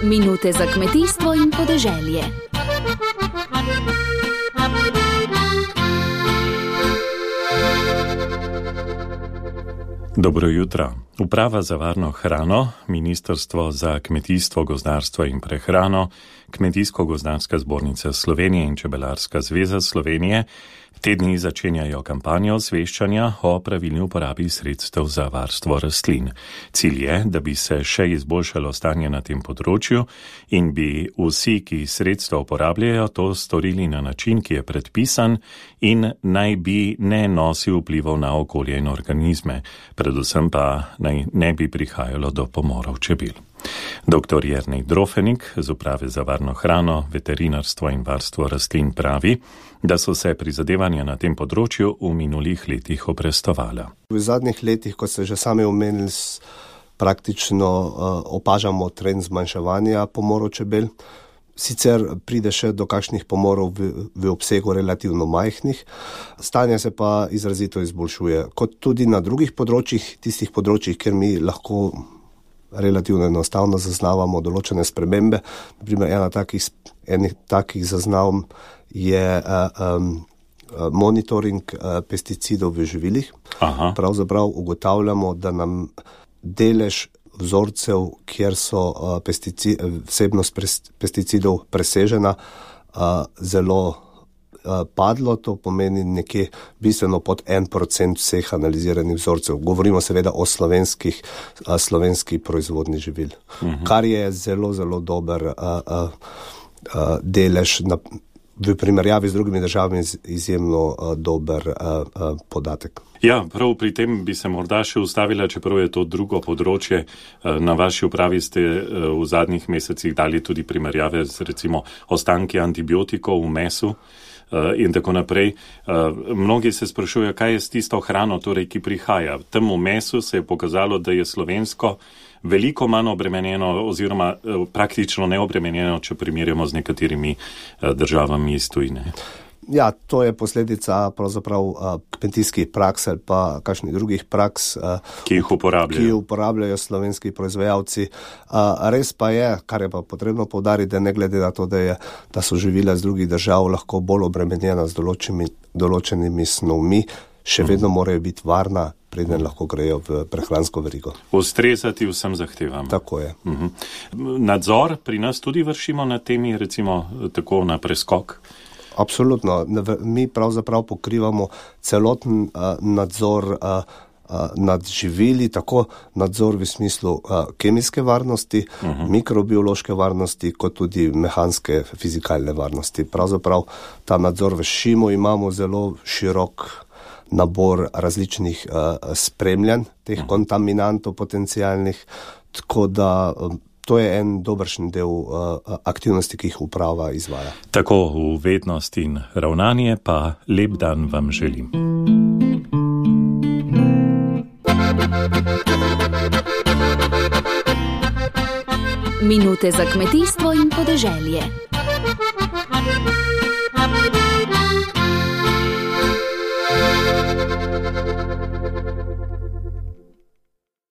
Minute za kmetijstvo in podeželje. Dobro jutro. Uprava za varno hrano, Ministrstvo za kmetijstvo, gozdarstvo in prehrano, Kmetijsko-gozdarska zbornica Slovenije in Čebelarska zveza Slovenije te dni začenjajo kampanjo osveščanja o pravilni uporabi sredstev za varstvo rastlin. Cilj je, da bi se še izboljšalo stanje na tem področju in bi vsi, ki sredstva uporabljajo, to storili na način, ki je predpisan in naj bi ne nosil vplivov na okolje in organizme, predvsem pa naj ne bi prihajalo do pomorov čebel. Dr. Jernej Drofenik z Uprave za varno hrano, veterinarstvo in varstvo rastlin pravi, da so se prizadevanja na tem področju v minulih letih obrestovala. V zadnjih letih, kot ste že sami omenili, praktično opažamo trend zmanjševanja pomorov čebel. Sicer pride še do kakšnih pomorov v obsegu relativno majhnih, stanje se pa izrazito izboljšuje. Kot tudi na drugih področjih, tistih področjih, kjer mi lahko relativno enostavno zaznavamo določene spremembe. Naprimer, ena takih zaznav je monitoring pesticidov v živilih. Aha. Pravzaprav ugotavljamo, da nam delež vzorcev, kjer so vsebnost pesticidov presežena, zelo padlo, to pomeni nekje bistveno pod 1% vseh analiziranih vzorcev. Govorimo seveda o slovenski proizvodni živil, kar je zelo, zelo dober delež v primerjavi z drugimi državami, izjemno dober podatek. Ja, prav pri tem bi se morda še ustavila, čeprav je to drugo področje. Na vaši upravi ste v zadnjih mesecih dali tudi primerjave z recimo ostanki antibiotikov v mesu in tako naprej. Mnogi se sprašujejo, kaj je s tisto hrano, torej, ki prihaja. Tem v mesu se je pokazalo, da je slovensko veliko manj obremenjeno oziroma praktično neobremenjeno, če primerjamo z nekaterimi državami iz tujine. Ja, to je posledica pravzaprav kmetijskih praks ali pa kakšnih drugih praks, ki jih uporabljajo slovenski proizvajalci. Res pa je, kar je pa potrebno poudariti, da ne glede na to, da so živila z drugih držav lahko bolj obremenjena z določenimi snovmi, še vedno morajo biti varna, preden lahko grejo v prehransko verigo. Ustrezati vsem zahtevam. Tako je. Nadzor pri nas tudi vršimo na temi, recimo tako na preskok? Absolutno. Mi pravzaprav pokrivamo celoten nadzor nad živili, tako nadzor v smislu kemijske varnosti, mikrobiološke varnosti, kot tudi mehanske, fizikalne varnosti. Pravzaprav ta nadzor vršimo, imamo zelo širok nabor različnih spremljanj teh kontaminantov potencialnih, tako da to je en dobršen del aktivnosti, ki jih uprava izvaja. Tako v vednost in ravnanje pa lep dan vam želim. Minute za kmetijstvo in podeželje.